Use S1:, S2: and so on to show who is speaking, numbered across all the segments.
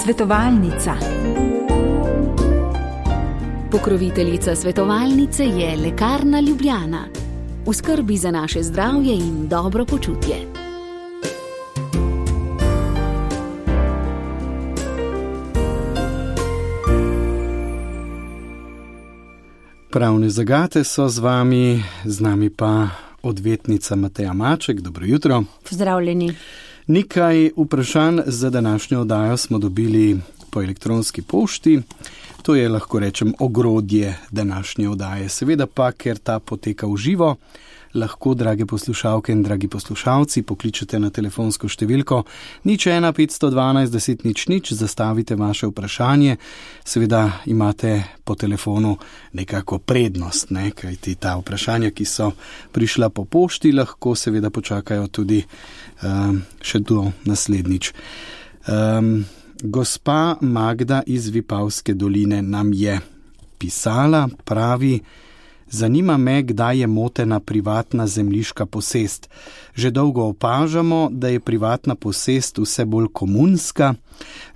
S1: Svetovalnica.
S2: Pokroviteljica svetovalnice je Lekarna Ljubljana. V skrbi za naše zdravje in dobro počutje.
S3: Pravne zagate so z nami pa odvetnica Mateja Maček. Dobro jutro.
S4: Pozdravljeni.
S3: Nekaj vprašanj za današnjo oddajo smo dobili po elektronski pošti. To je, lahko rečem, ogrodje današnje oddaje. Seveda pa, ker ta poteka v živo, lahko, drage poslušalke in dragi poslušalci, pokličete na telefonsko številko 01 512 10 00, zastavite vaše vprašanje. Seveda imate po telefonu nekako prednost, kajti ta vprašanja, ki so prišla po pošti, lahko seveda počakajo tudi še do naslednjič. Gospa Magda iz Vipavske doline nam je pisala, pravi: zanima me, kdaj je motena privatna zemljiška posest. Že dolgo opažamo, da je privatna posest vse bolj komunska.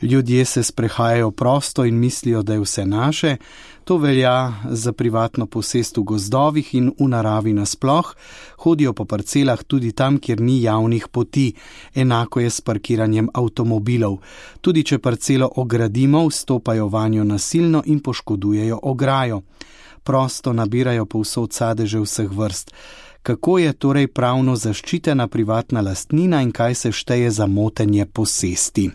S3: Ljudje se sprehajajo prosto in mislijo, da je vse naše. To velja za privatno posest v gozdovih in v naravi nasploh. Hodijo po parcelah tudi tam, kjer ni javnih poti. Enako je s parkiranjem avtomobilov. Tudi če parcelo ogradimo, vstopajo vanjo nasilno in poškodujejo ograjo. Prosto nabirajo povsod sadeže vseh vrst. Kako je torej pravno zaščitena privatna lastnina in kaj se šteje za motenje posesti?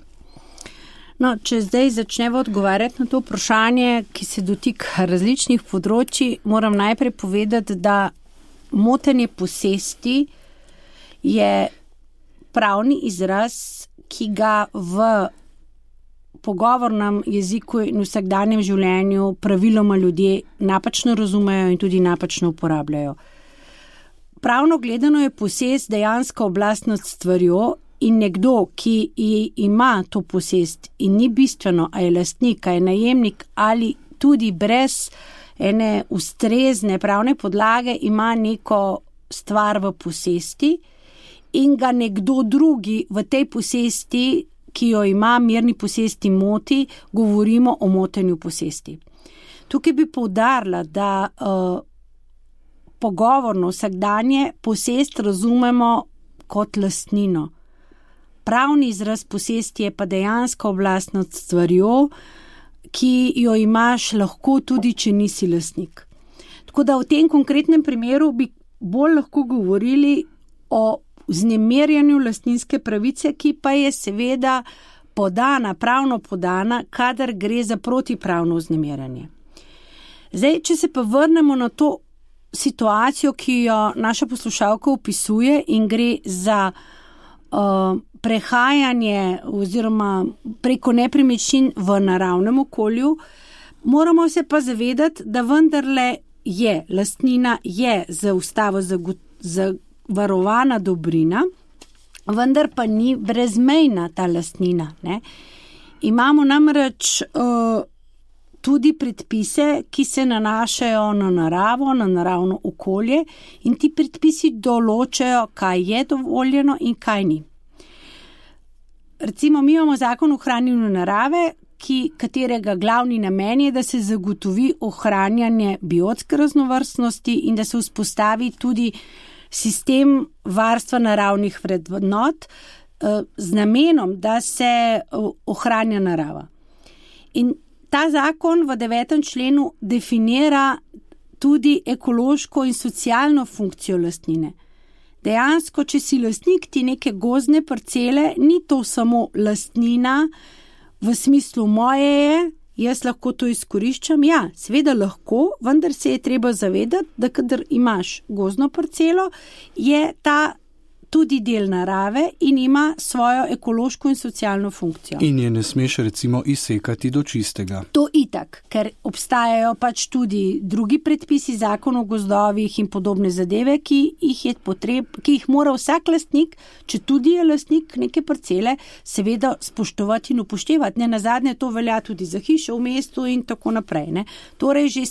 S4: No, če zdaj začnemo odgovarjati na to vprašanje, ki se dotika različnih področji, moram najprej povedati, da motenje posesti je pravni izraz, ki ga v pogovornem jeziku in vsakdanjem življenju praviloma ljudje napačno razumejo in tudi napačno uporabljajo. Pravno gledano je posest dejansko oblast nad stvarjo in nekdo, ki ima to posest in ni bistveno, a je lastnik, a je najemnik ali tudi brez ene ustrezne pravne podlage ima neko stvar v posesti in ga nekdo drugi v tej posesti, ki jo ima, mirni posesti, moti, govorimo o motenju posesti. Tukaj bi poudarila, da pogovorno vsakdanje posest razumemo kot lastnino. Pravni izraz posesti je pa dejansko oblast nad stvarjo, ki jo imaš lahko tudi, če nisi lastnik. Tako da v tem konkretnem primeru bi bolj lahko govorili o vznemirjanju lastninske pravice, ki pa je seveda pravno podana, kadar gre za protipravno vznemirjanje. Zdaj, če se pa vrnemo na to situacijo, ki jo naša poslušalka opisuje in gre za prehajanje oziroma preko nepremičnin v naravnem okolju, moramo se pa zavedati, da vendarle je lastnina za ustavo varovana dobrina, vendar pa ni brezmejna ta lastnina. Imamo namreč tudi predpise, ki se nanašajo na naravo, na naravno okolje in ti predpisi določajo, kaj je dovoljeno in kaj ni. Recimo, mi imamo zakon o ohranjanju narave, katerega glavni namen je, da se zagotovi ohranjanje biotske raznovrstnosti in da se vzpostavi tudi sistem varstva naravnih vrednot z namenom, da se ohranja narava. In ta zakon v 9. členu definira tudi ekološko in socialno funkcijo lastnine. Dejansko, če si lastnik ti neke gozdne parcele, ni to samo lastnina v smislu moje je, jaz lahko to izkoriščam. Ja, seveda lahko, vendar se je treba zavedati, da kadar imaš gozdno parcelo, je ta tudi del narave in ima svojo ekološko in socialno funkcijo.
S3: In je ne smeš recimo izsekati do čistega.
S4: To itak, ker obstajajo pač tudi drugi predpisi, zakon o gozdovih in podobne zadeve, ki jih mora vsak lastnik, če tudi je lastnik neke parcele, seveda spoštovati in upoštevati. Nenazadnje to velja tudi za hišo v mestu in tako naprej. Torej že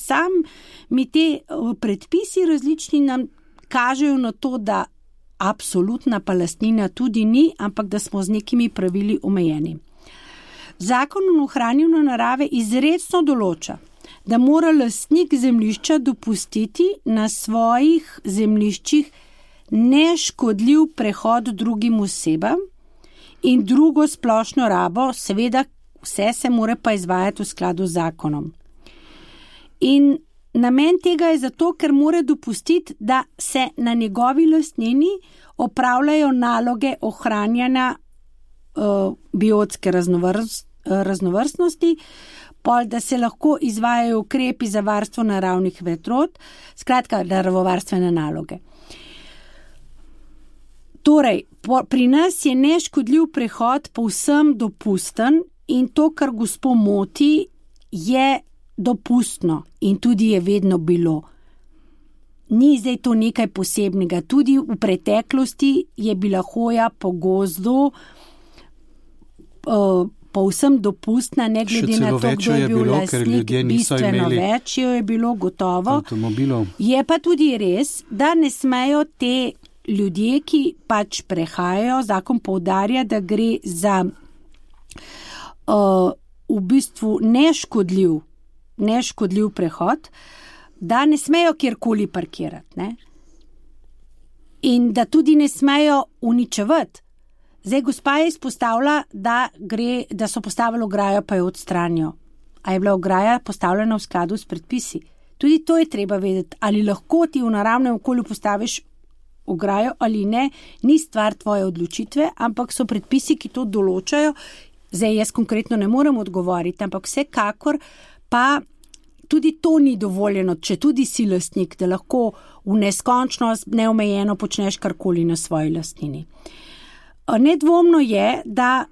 S4: mi te predpisi različni nam kažejo na to, da absolutna pa lastnina tudi ni, ampak da smo z nekimi pravili omejeni. Zakon o ohranjanju narave izrecno določa, da mora lastnik zemljišča dopustiti na svojih zemljiščih neškodljiv prehod drugim osebam in drugo splošno rabo, seveda vse se mora pa izvajati v skladu z zakonom. In namen tega je zato, ker mora dopustiti, da se na njegovi lastnini opravljajo naloge ohranjanja biotske raznovrstnosti, da se lahko izvajajo ukrepi za varstvo naravnih vetrot, skratka naravovarstvene naloge. Torej, pri nas je neškodljiv prehod povsem dopusten in to, kar gospo moti, je dopustno in tudi je vedno bilo. Ni zdaj to nekaj posebnega. Tudi v preteklosti je bila hoja po gozdu povsem dopustna, ne glede na to, kdo je bil lastnik, bistveno več je bilo gotovo.
S3: Avtomobilov.
S4: Je pa tudi res, da ne smejo te ljudje, ki pač prehajajo, zakon poudarja, da gre za v bistvu neškodljiv prehod, da ne smejo kjerkoli parkirati, ne? In da tudi ne smejo uničevati. Zdaj, gospa je izpostavila, da so postavili ograjo, pa jo odstranijo. A je bila ograja postavljena v skladu s predpisi? Tudi to je treba vedeti, ali lahko ti v naravnem okolju postaviš ograjo ali ne, ni stvar tvoje odločitve, ampak so predpisi, ki to določajo. Zdaj, jaz konkretno ne morem odgovoriti, ampak vsekakor pa tudi to ni dovoljeno, če tudi si lastnik, da lahko v neskončnost neomejeno počneš karkoli na svoji lastnini. Nedvomno je, da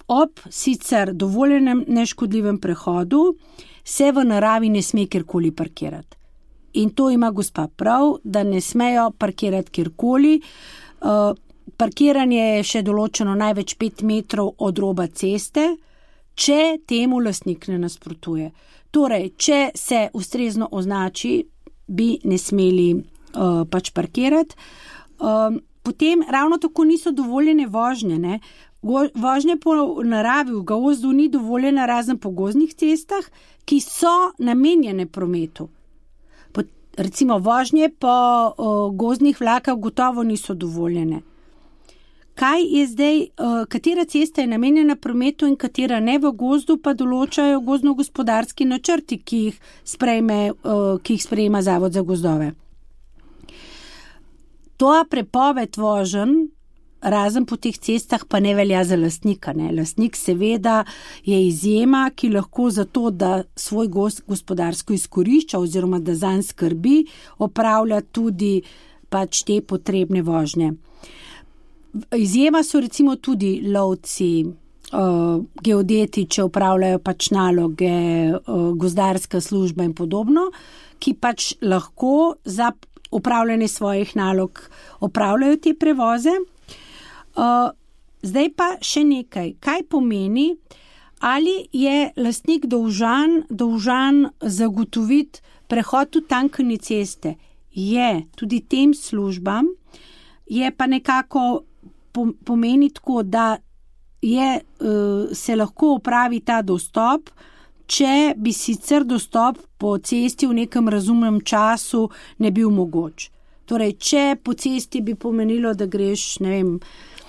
S4: ob sicer dovoljenem neškodljivem prehodu se v naravi ne sme kjerkoli parkirati. In to ima gospa prav, da ne smejo parkirati kjerkoli. Parkiranje je še določeno največ 5 metrov od roba ceste, če temu lastnik ne nasprotuje. Torej, če se ustrezno označi, bi ne smeli pač parkirati. Potem ravno tako niso dovoljene vožnje, ne? Vožnje po naravi v gozdu ni dovoljena razen po gozdnih cestah, ki so namenjene prometu. Recimo vožnje po gozdnih vlakah gotovo niso dovoljene. Kaj je zdaj, katera cesta je namenjena prometu in katera ne v gozdu, pa določajo gozdno-gospodarski načrti, ki jih sprejema Zavod za gozdove. To prepoved voženj razen po teh cestah pa ne velja za lastnika, ne. Lastnik seveda je izjema, ki lahko za to, da svoj gozd gospodarsko izkorišča oziroma da zanj skrbi, opravlja tudi pač te potrebne vožnje. Izjema so recimo tudi lovci, geodeti, če opravljajo pač naloge, gozdarska služba in podobno, ki pač lahko za opravljanje svojih nalog opravljajo te prevoze. Zdaj pa še nekaj. Kaj pomeni, ali je lastnik dolžan zagotoviti prehod v tankanje ceste? Je tudi tem službam, je pa nekako pomeni tako, da se lahko opravi ta dostop, če bi sicer dostop po cesti v nekem razumnem času ne bil mogoč. Torej, če po cesti bi pomenilo, da greš, ne vem,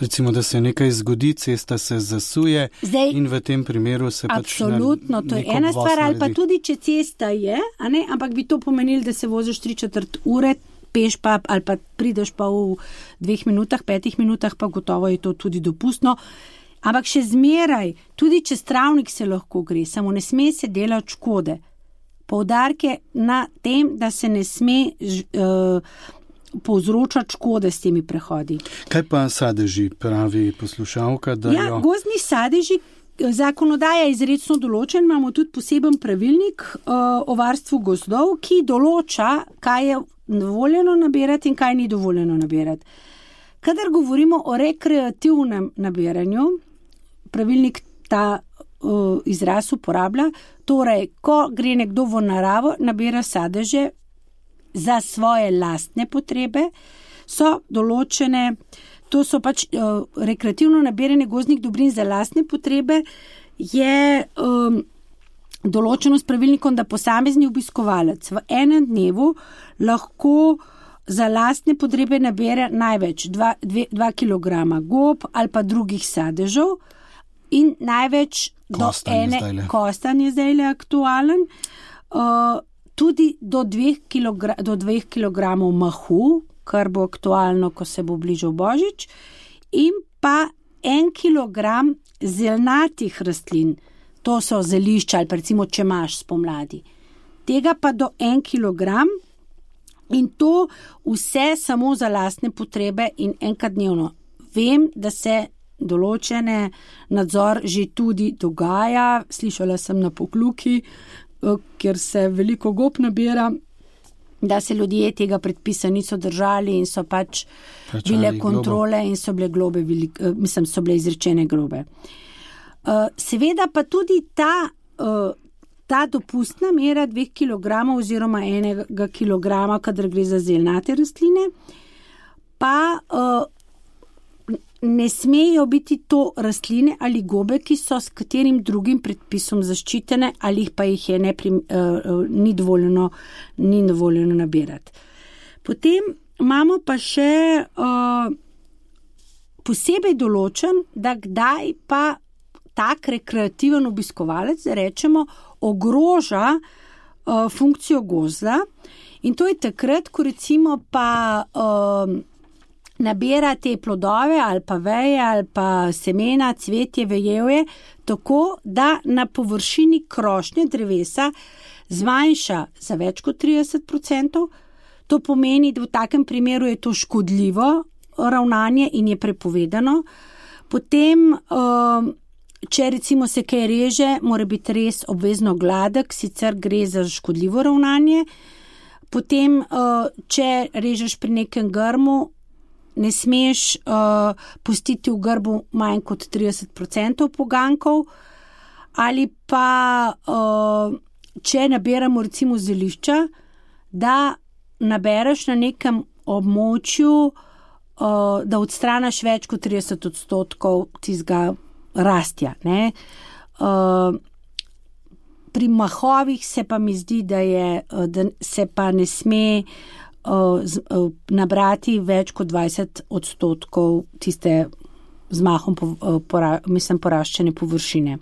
S3: recimo, da se nekaj zgodi, cesta se zasuje. Zdaj, in v tem primeru se
S4: absolutno, to je ena stvar, ali pa tudi, če cesta je, a ne, ampak bi to pomenilo, da se voziš 3/4 ure, peš pa, ali pa prideš pa v 2 minutah, 5 minutah, pa gotovo je to tudi dopustno. Ampak še zmeraj, tudi čez travnik se lahko gre, samo ne sme se delati škode. Poudarke na tem, da se ne sme povzročati škode s temi prehodi.
S3: Kaj pa sadeži, pravi poslušalka?
S4: Gozdni sadeži, zakonodaja je izrecno določen, imamo tudi poseben pravilnik o varstvu gozdov, ki določa, kaj je dovoljeno nabirati in kaj ni dovoljeno nabirati. Kadar govorimo o rekreativnem nabiranju, pravilnik ta izraz uporablja, torej, ko gre nekdo v naravo, nabira sadeže za svoje lastne potrebe, so določene to so pač rekreativno nabiranje gozdnih dobrin za lastne potrebe, je določeno s pravilnikom, da posamezni obiskovalec v enem dnevu lahko za lastne potrebe nabere največ 2 kilograma gob ali pa drugih sadežev in največ kostan je zdaj aktualen, tudi do 2 kilogramov mahu, kar bo aktualno, ko se bo bližal Božič, in pa 1 kilogram zelnatih rastlin, to so zelišča ali pa recimo čemaž spomladi. Tega pa do 1 kilogram in to vse samo za lastne potrebe in enkrat dnevno. Vem, da se določene nadzor že tudi dogaja, slišala sem na Pokljuki, ker se veliko gob nabira, da se ljudje tega predpisa niso držali in so pač bile kontrole in so bile globe, so bile izrečene globe. Seveda pa tudi ta dopustna mera 2 kilogramov oziroma 1 kilograma, kadar gre za zelnate rastline, pa ne smejo biti to rastline ali gobe, ki so s katerim drugim predpisom zaščitene ali pa jih je ni dovoljeno nabirati. Potem imamo pa še posebej določen, da kdaj pa tak rekreativen obiskovalec, rečemo, ogroža funkcijo gozda in to je takrat, ko recimo pa nabira te plodove ali pa veje ali pa semena, cvetje, vejevje, tako da na površini krošnje drevesa zmanjša za več kot 30%. To pomeni, da v takem primeru je to škodljivo ravnanje in je prepovedano. Potem, če recimo se kaj reže, mora biti res obvezno gladek, sicer gre za škodljivo ravnanje. Potem, če režeš pri nekem grmu, ne smeš pustiti v grbu manj kot 30% pogankov, ali pa če nabiramo recimo zelišča, da nabereš na nekem območju, da odstraniš več kot 30% tistega rastja. Ne? Pri mahovih se pa mi zdi, da se pa ne sme nabrati več kot 20% tiste z mahom poraščene površine.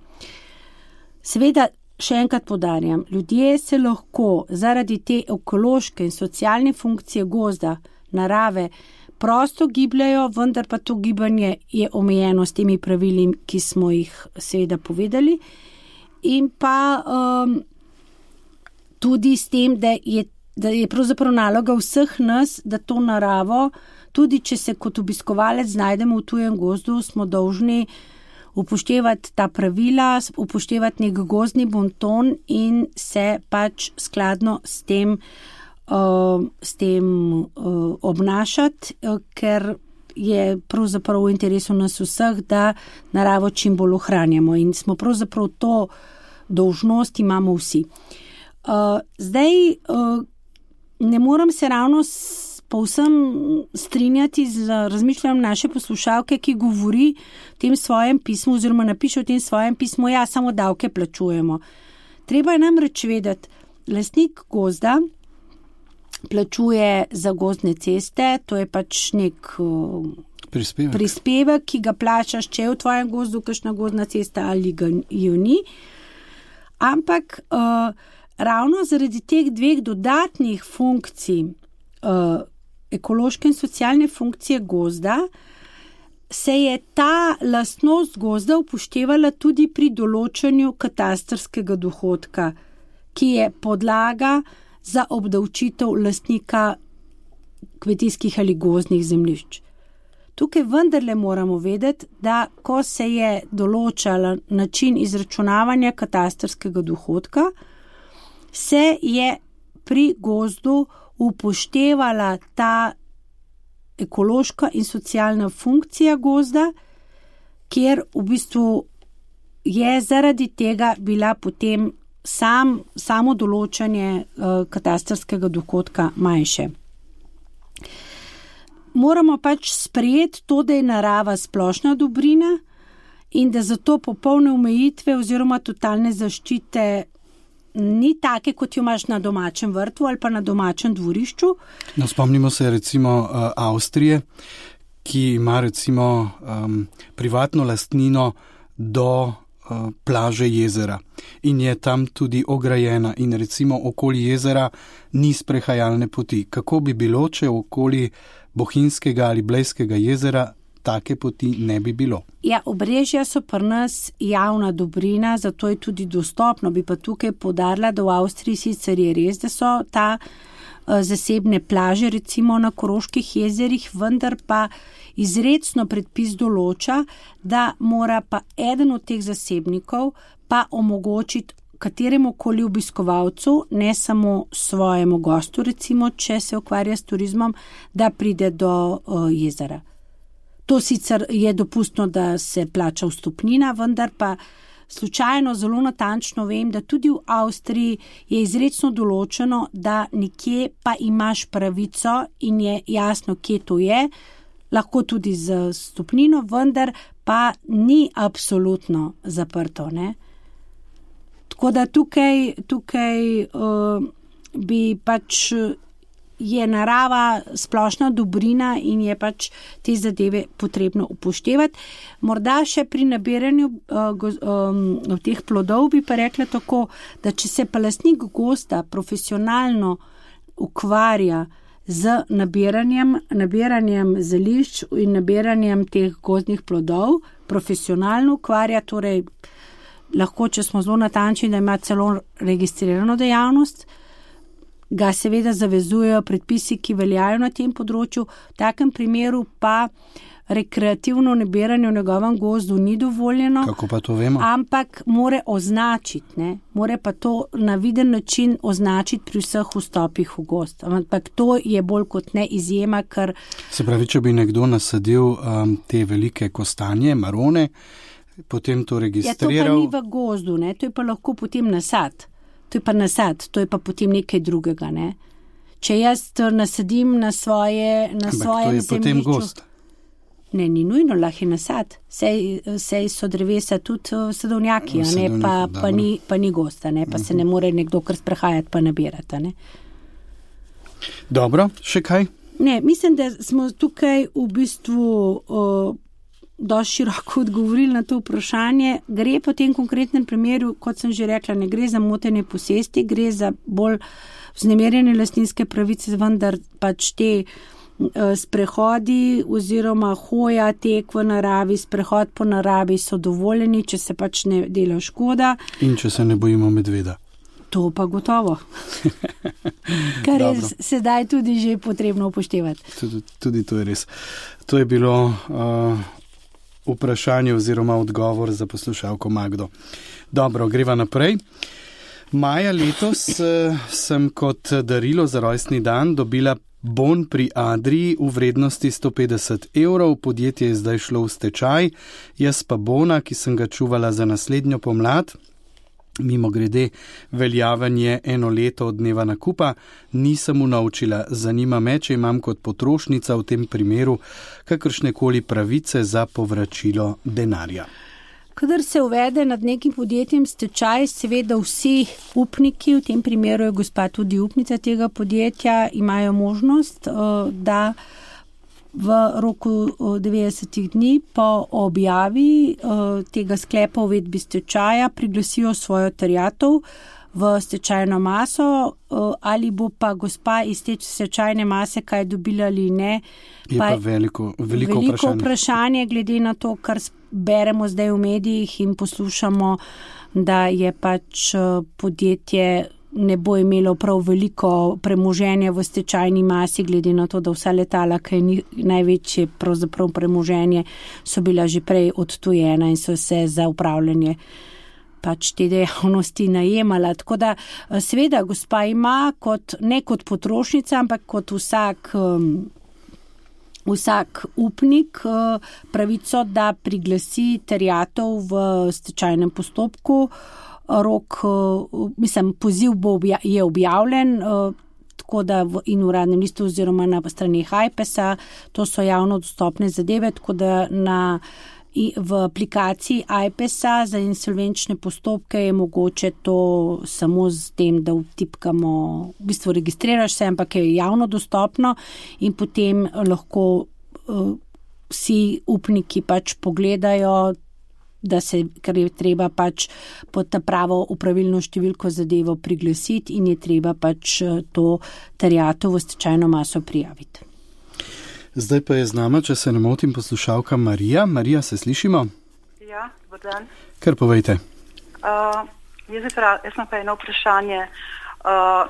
S4: Seveda, še enkrat poudarjam, ljudje se lahko zaradi te ekološke in socialne funkcije gozda, narave, prosto gibljajo, vendar pa to gibanje je omejeno s temi pravili, ki smo jih seveda povedali, in pa tudi s tem, da je pravzaprav naloga vseh nas, da to naravo, tudi če se kot obiskovalec znajdemo v tujem gozdu, smo dolžni upoštevati ta pravila, upoštevati nek gozdni bonton in se pač skladno s tem obnašati, ker je pravzaprav v interesu nas vseh, da naravo čim bolj ohranjamo in smo pravzaprav to dolžnost imamo vsi. Zdaj, ne moram se ravno povsem strinjati z razmišljanjem naše poslušalke, ki govori v tem svojem pismu oziroma napiše v tem svojem pismu, ja, samo davke plačujemo. Treba je namreč vedeti, lastnik gozda plačuje za gozdne ceste, to je pač nek prispevek, ki ga plačaš, če je v tvojem gozdu kakšna gozdna cesta ali ga jo ni. Ampak ravno zaradi teh dveh dodatnih funkcij, ekološke in socialne funkcije gozda, se je ta lastnost gozda upoštevala tudi pri določanju katastrskega dohodka, ki je podlaga za obdavčitev lastnika kmetijskih ali gozdnih zemljišč. Tukaj vendarle moramo vedeti, da ko se je določala način izračunavanja katastrskega dohodka, se je pri gozdu upoštevala ta ekološka in socialna funkcija gozda, kjer v bistvu je zaradi tega bila potem samo določanje katastrskega dohodka manjše. moramo pač sprejeti to, da je narava splošna dobrina in da zato popolne omejitve oziroma totalne zaščite ni take, kot jo imaš na domačem vrtu ali pa na domačem dvorišču.
S3: No, spomnimo se recimo Avstrije, ki ima recimo privatno lastnino do plaže jezera in je tam tudi ograjena in recimo okoli jezera ni sprehajalne poti. Kako bi bilo, če okoli Bohinjskega ali Blejskega jezera take poti ne bi bilo?
S4: Ja, Obrežja so pri nas javna dobrina, zato je tudi dostopno. Bi pa tukaj poudarila, da v Avstriji sicer je res, da so ta zasebne plaže, recimo na Koroških jezerih, vendar pa izrecno predpis določa, da mora pa eden od teh zasebnikov pa omogočiti kateremu koli obiskovalcu, ne samo svojemu gostu, recimo, če se ukvarja s turizmom, da pride do jezera. To sicer je dopustno, da se plača vstopnina, vendar pa slučajno zelo natančno vem, da tudi v Avstriji je izrecno določeno, da nekje pa imaš pravico in je jasno, kje to je, lahko tudi z vstopnino, vendar pa ni absolutno zaprto, ne? Tako da tukaj bi pač je narava splošna dobrina in je pač te zadeve potrebno upoštevati. Morda še pri nabiranju teh plodov bi pa rekla tako, da če se pa lastnik gozda profesionalno ukvarja z nabiranjem zelišč in nabiranjem teh gozdnih plodov, profesionalno ukvarja, torej lahko, če smo zelo natančni, da ima celo registrirano dejavnost, ga seveda zavezujejo predpisi, ki veljajo na tem področju. V takem primeru pa rekreativno nabiranje v njegovem gozdu ni dovoljeno.
S3: Kako pa to vemo?
S4: Ampak more označiti, ne? More pa to na viden način označiti pri vseh vstopih v gozd. Ampak to je bolj kot ne izjema, ker...
S3: Se pravi, če bi nekdo nasadil te velike kostanje, marone, potem to registriral...
S4: Ja, to pa ni v gozdu, ne? To je pa lahko potem nasad. To je pa nasad, to je pa potem nekaj drugega, ne. Če jaz nasadim na svojem zemljišču... Ampak to je potem gost. Ne, ni nujno, lahko je nasad. Sej so drevesa tudi sadovnjaki, ne, pa ni gosta, ne, pa se ne more nekdo kar sprehajati pa nabirati, ne.
S3: Dobro, še kaj?
S4: Ne, mislim, da smo tukaj v bistvu... dosti široko odgovorili na to vprašanje. Gre po tem konkretnem primeru, kot sem že rekla, ne gre za motenje posesti, gre za bolj vznemirjene lastninske pravice, vendar pač te sprehodi oziroma hoja, tek v naravi, sprehod po naravi so dovoljeni, če se pač ne dela škoda.
S3: In če se ne bojimo medveda.
S4: To pa gotovo. Kar je sedaj tudi že potrebno upoštevati.
S3: Tudi to je res. To je bilo... vprašanje oziroma odgovor za poslušalko Magdo. Dobro, greva naprej. Maja letos sem kot darilo za rojstni dan dobila bon pri Adrii v vrednosti 150 €. Podjetje je zdaj šlo v stečaj, jaz pa bona, ki sem ga čuvala za naslednjo pomlad, mimo grede veljaven je 1 leto od dneva nakupa, nisem unovčila. Zanima me, če imam kot potrošnica v tem primeru kakršnekoli pravice za povračilo denarja.
S4: Kadar se uvede nad nekim podjetjem stečaj, seveda vsi upniki, v tem primeru je gospa tudi upnica tega podjetja, imajo možnost, da v roku 90 dni po objavi tega sklepa o uvedbi stečaja priglasijo svojo terjatev v stečajno maso, ali bo pa gospa iz te stečajne mase kaj dobila ali ne.
S3: Je pa veliko
S4: vprašanje glede na to, kar beremo zdaj v medijih in poslušamo, da je pač podjetje ne bo imelo prav veliko premoženja v stečajni masi, glede na to, da vsa letala, ki je največje pravzaprav premoženje, so bila že prej odtujena in so se za upravljanje pač te dejavnosti najemala. Tako da seveda gospa ima ne kot potrošnica, ampak kot vsak upnik pravico, da priglasi terjatev v stečajnem postopku. Poziv je objavljen, tako da in v Uradnem listu oziroma na straneh AJPES-a, to so javno dostopne zadeve, tako da v aplikaciji AJPES-a za insolvenčne postopke je mogoče to samo z tem, da vtipkamo, v bistvu registriraš se, ampak je javno dostopno in potem lahko vsi upniki pač pogledajo, ker je treba pač pod ta pravo upravilno številko zadevo priglasiti in je treba pač to terjatev v stečajno maso prijaviti.
S3: Zdaj pa je z nama, če se ne motim, poslušalka Marija. Marija, se slišimo?
S1: Ja, dober dan.
S3: Kar povejte.
S1: Jaz imam pa eno vprašanje.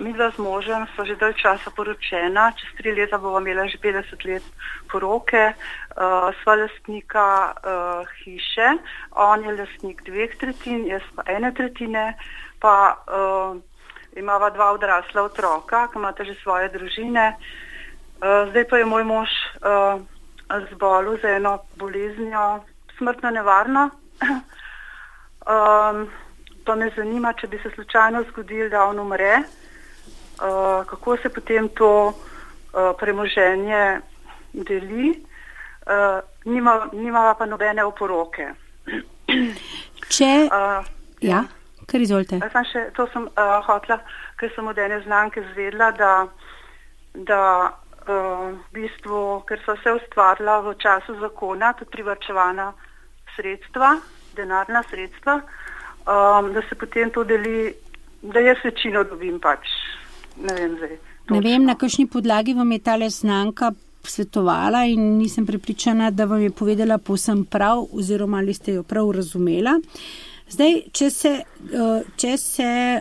S1: Midva z možem sva že dalj časa poročena, čez 3 leta bova imela že 50 let poroke, sva lastnika hiše, on je lastnik 2/3, jaz pa 1/3, pa imava 2 odrasla otroka, ki imata že svoje družine. Zdaj pa je moj mož zbolel za eno boleznjo, smrtno nevarno. Pa me zanima, če bi se slučajno zgodilo, da on umre, kako se potem to premoženje deli, nima pa nobene oporoke.
S4: Ja, kar izvolite.
S1: To sem hotela, ker sem od ene znanke zvedla, da v bistvu, ker so se ustvarila v času zakona, tudi privarčevana sredstva, denarna sredstva, da se potem to deli, da jaz večino dobim pač. Ne vem zdaj.
S4: Ne vem, na kakšni podlagi vam je tale znanka svetovala in nisem prepričana, da vam je povedala povsem prav oziroma ali ste jo prav razumela. Zdaj, če se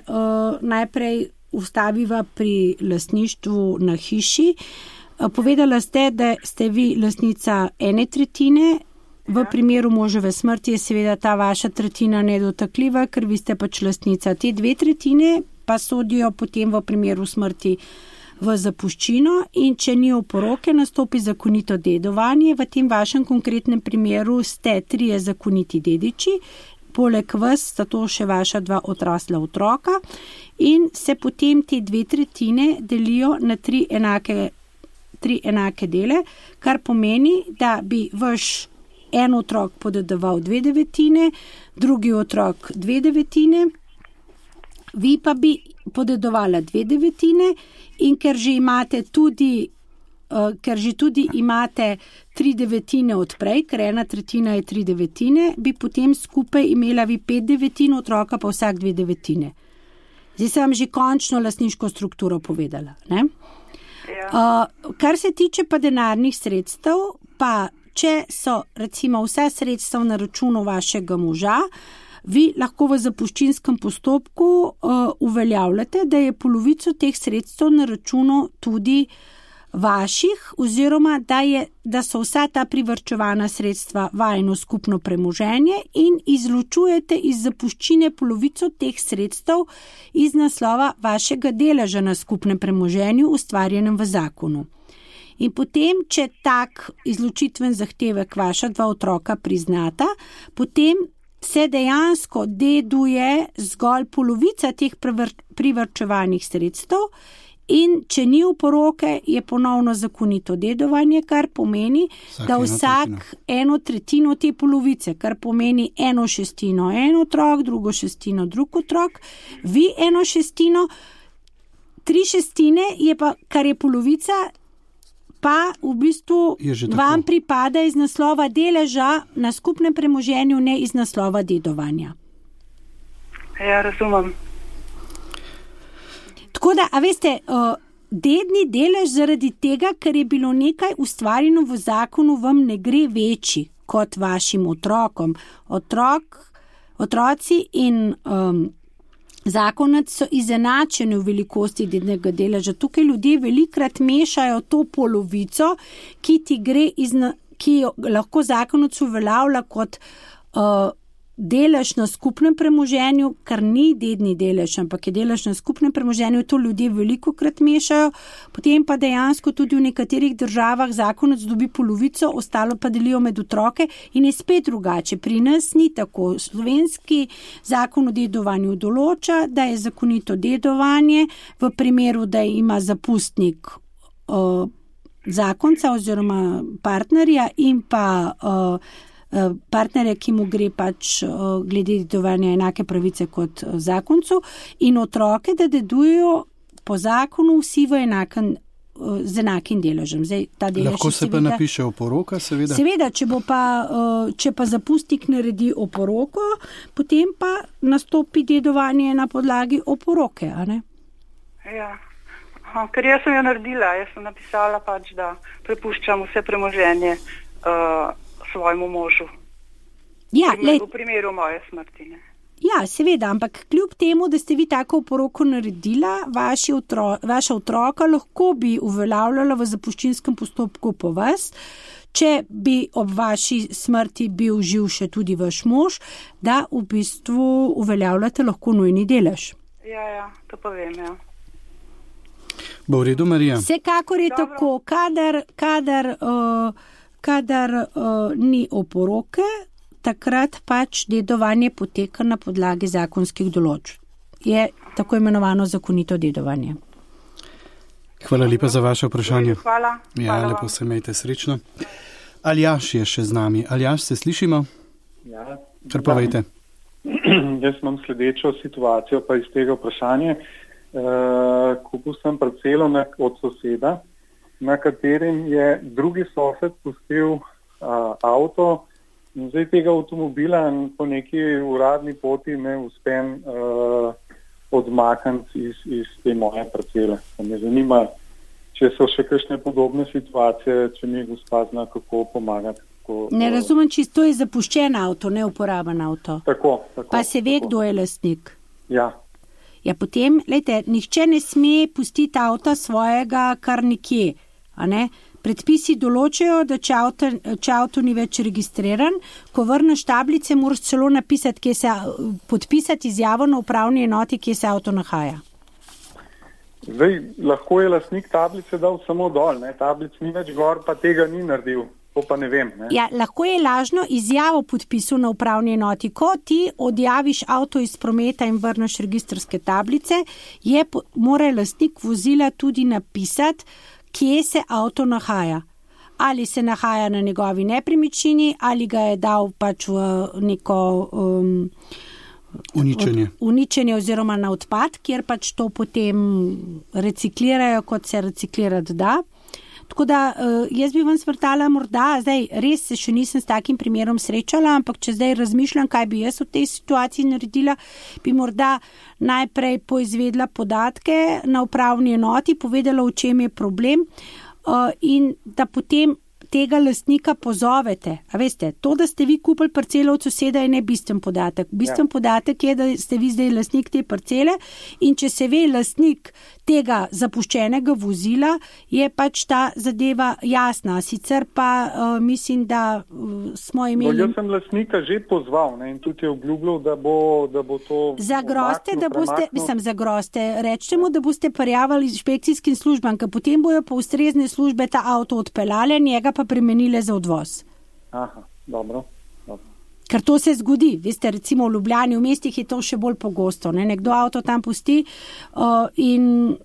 S4: najprej ustaviva pri lastništvu na hiši, povedala ste, da ste vi lastnica 1/3, v primeru moževe smrti je seveda ta vaša tretjina nedotakljiva, ker vi ste pač lastnica. Te 2/3 pa sodijo potem v primeru smrti v zapuščino in če ni oporoke, nastopi zakonito dedovanje. V tem vašem konkretnem primeru ste 3 zakoniti dediči, poleg vas sta to še vaša 2 odrasla otroka in se potem te 2/3 delijo na 3 enake dele, kar pomeni, da bi vaš en otrok podedoval 2/9, drugi otrok 2/9, vi pa bi podedovala 2/9 in ker že tudi imate 3/9 odprej, ker 1/3 je 3/9, bi potem skupaj imela vi 5/9, otroka pa vsak 2/9. Zdaj sem že končno lastniško strukturo povedala. Ne?
S1: Ja.
S4: Kar se tiče pa denarnih sredstev, pa če so recimo vsa sredstva na računu vašega moža, vi lahko v zapuščinskem postopku uveljavljate, da je polovico teh sredstev na računu tudi vaših oziroma da so vsa ta privarčevana sredstva vajino skupno premoženje in izločujete iz zapuščine polovico teh sredstev iz naslova vašega deleža na skupnem premoženju ustvarjenem v zakonu. In potem, če tak izločitven zahtevek vaša 2 otroka priznata, potem se dejansko deduje zgolj polovica teh privarčevanih sredstev in če ni oporoke, je ponovno zakonito dedovanje, kar pomeni, da vsak 1/3 te polovice, kar pomeni 1/6 en otrok, 2/6 drug otrok, vi 1/6, 3/6 je pa, kar je polovica, pa v bistvu vam pripada iz naslova deleža na skupnem premoženju, ne iz naslova dedovanja.
S1: Ja, razumem.
S4: Tako da, a veste, dedni delež zaradi tega, ker je bilo nekaj ustvarjeno v zakonu, vam ne gre večji kot vašim otrokom. Otroci in zakonac so izenačeni v velikosti dednega deleža. Tukaj ljudje velikrat mešajo to polovico, ki ti gre ki jo lahko zakonac uveljavlja kot delež na skupnem premoženju, kar ni dedni delež, ampak je delež na skupnem premoženju, to ljudje velikokrat mešajo, potem pa dejansko tudi v nekaterih državah zakonec dobi polovico, ostalo pa delijo med otroke in je spet drugače. Pri nas ni tako. Slovenski zakon o dedovanju določa, da je zakonito dedovanje v primeru, da ima zapustnik zakonca oziroma partnerja in pa partnerja, ki mu gre pač glede dedovanja enake pravice kot zakoncu in otroke, da dedujejo po zakonu vsi z enakim deležem. Zdaj, ta delež
S3: lahko se
S4: seveda,
S3: pa napiše oporoka, seveda?
S4: Seveda, če pa zapustnik naredi oporoko, potem pa nastopi dedovanje na podlagi oporoke, a ne?
S1: Ja. Ker jaz sem jo naredila, jaz sem napisala pač, da prepuščam vse premoženje svojemu možu.
S4: Ja,
S1: v primeru moje smrti. Ne?
S4: Ja, seveda, ampak kljub temu, da ste vi tako oporoko naredila, vaša otroka lahko bi uveljavljala v zapuščinskem postopku po vas, če bi ob vaši smrti bil živ še tudi vaš mož, da v bistvu uveljavljate lahko nujni delež.
S1: Ja, to pa vem, ja.
S3: Bo v redu, Marija?
S4: Vsekakor je tako, kadar ni oporoke, takrat pač dedovanje poteka na podlagi zakonskih določb. Je tako imenovano zakonito dedovanje.
S3: Hvala lepa za vaše vprašanje.
S1: Hvala.
S3: Ja, lepo se imejte, srečno. Aljaž je še z nami. Aljaž, se slišimo?
S5: Ja.
S3: Kar povejte.
S5: Jaz imam sledečo situacijo pa iz tega vprašanja. Kupil sem parcelo od soseda, na katerem je drugi sosed pustil avto in zdaj tega avtomobila po neki uradni poti ne uspem odmakniti iz te moje parcele. Me zanima, če so še kakšne podobne situacije, če mi gospa zna kako pomagati.
S4: Ne razumem čisto, to je zapuščen avto, neuporaben avto.
S5: Tako.
S4: Pa se ve, kdo je lastnik.
S5: Ja.
S4: Ja, potem, nihče ne sme pustiti avta svojega kar nikje, a ne? Predpisi določajo, da če avto ni več registriran, ko vrneš tablice, moraš celo napisati, podpisati izjavo na upravni enoti, kje se avto nahaja.
S5: Zdaj, lahko je lastnik tablice dal samo dol, ne? Tablic ni več gor, pa tega ni naredil. To pa ne vem. Ne?
S4: Ja, lahko je lažno izjavo podpisal na upravni enoti. Ko ti odjaviš avto iz prometa in vrneš registrske tablice, mora lastnik vozila tudi napisati, kje se avto nahaja. Ali se nahaja na njegovi nepremičnini, ali ga je dal pač v neko uničenje oziroma na odpad, kjer pač to potem reciklirajo, kot se reciklirati da. Tako da jaz bi vam svrtala morda, zdaj res se še nisem s takim primerom srečala, ampak če zdaj razmišljam, kaj bi jaz v tej situaciji naredila, bi morda najprej poizvedla podatke na upravni enoti, povedala, v čem je problem in da potem tega lastnika pozovete. A veste, to, da ste vi kupili parcelo od soseda, je ne bistven podatek. Bistven podatek je, da ste vi zdaj lastnik te parcele in če se ve lastnik tega zapuščenega vozila, je pač ta zadeva jasna. Sicer pa mislim, da smo imeli...
S5: Jaz sem lastnika že pozval, ne, in tudi je obljubljal, da bo to...
S4: Zagroste, rečete mu, da boste prijavili inšpekcijskim službam, ker potem bojo po ustrezne službe ta avto odpeljale, njega pa premenile za odvoz.
S5: Aha, dobro.
S4: Ker to se zgodi, veste, recimo v Ljubljani, v mestih je to še bolj pogosto, ne? Nekdo avto tam pusti in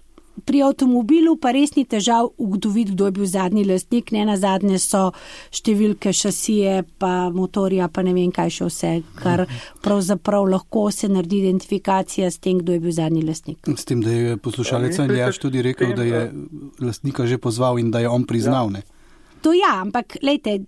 S4: pri avtomobilu pa res ni težav ugotoviti, kdo je bil zadnji lastnik, ne nazadnje so številke šasije, pa motorja, pa ne vem kaj še vse, kar pravzaprav lahko se naredi identifikacija s tem, kdo je bil zadnji lastnik.
S3: S tem, da je poslušalec Aljaž tudi rekel, da je lastnika že pozval in da je on priznal, ne?
S4: To ja, ampak lejte,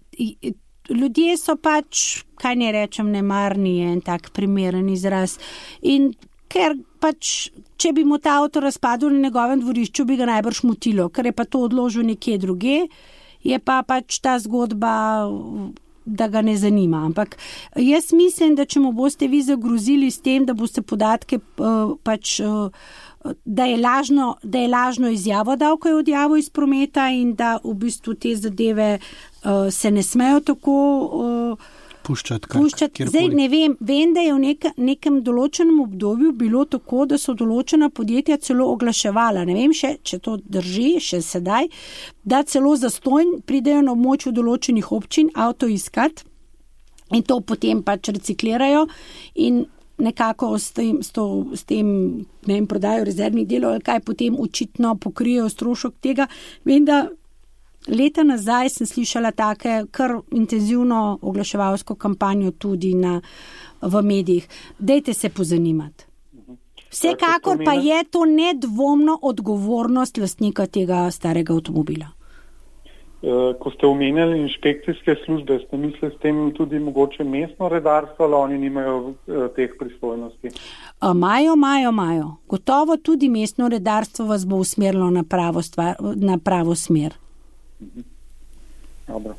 S4: ljudje so pač, kaj ne rečem, nemarni, je en tak primeren izraz. In ker pač, če bi mu ta avto razpadel na njegovem dvorišču, bi ga najbrž motilo, ker je pa to odložil nekje druge, je pa pač ta zgodba, da ga ne zanima. Ampak jaz mislim, da če mu boste vi zagrozili s tem, da boste podatke pač... Da je lažno izjavo dal, ko je odjavil iz prometa in da v bistvu te zadeve se ne smejo tako
S3: puščati.
S4: Zdaj ne vem, da je v nekem določenem obdobju bilo tako, da so določena podjetja celo oglaševala. Ne vem še, če to drži, še sedaj, da celo zastonj pridejo na območju določenih občin avto iskat in to potem pač reciklirajo in nekako s tem ne vem, prodajo rezervnih delov ali kaj potem očitno pokrijejo strošek tega. Vem, da leta nazaj sem slišala take kar intenzivno oglaševalsko kampanjo tudi v medijih. Dajte se pozanimati. Vsekakor pa je to nedvomno odgovornost lastnika tega starega avtomobila.
S5: Ko ste omenjali inšpekcijske službe, ste mislili s tem tudi mogoče mestno redarstvo, ali oni nimajo teh pristojnosti?
S4: Imajo. Gotovo tudi mestno redarstvo vas bo usmerilo na pravo smer.
S5: Dobro.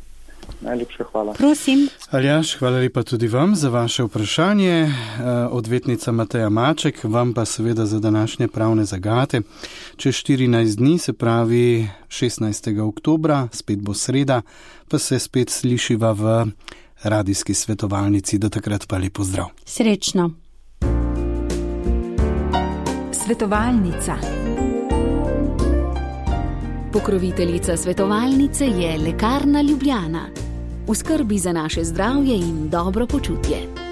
S5: Najlepša hvala.
S4: Prosim.
S3: Aljaž, hvala lepa tudi vam za vaše vprašanje. Odvetnica Mateja Maček, vam pa seveda za današnje pravne zagate. Čez 14 dni, se pravi 16. oktobra, spet bo sreda, pa se spet slišiva v radijski svetovalnici. Do takrat pa lepo zdrav.
S4: Srečno.
S2: Svetovalnica. Pokroviteljica svetovalnice je Lekarna Ljubljana. V skrbi za naše zdravje in dobro počutje.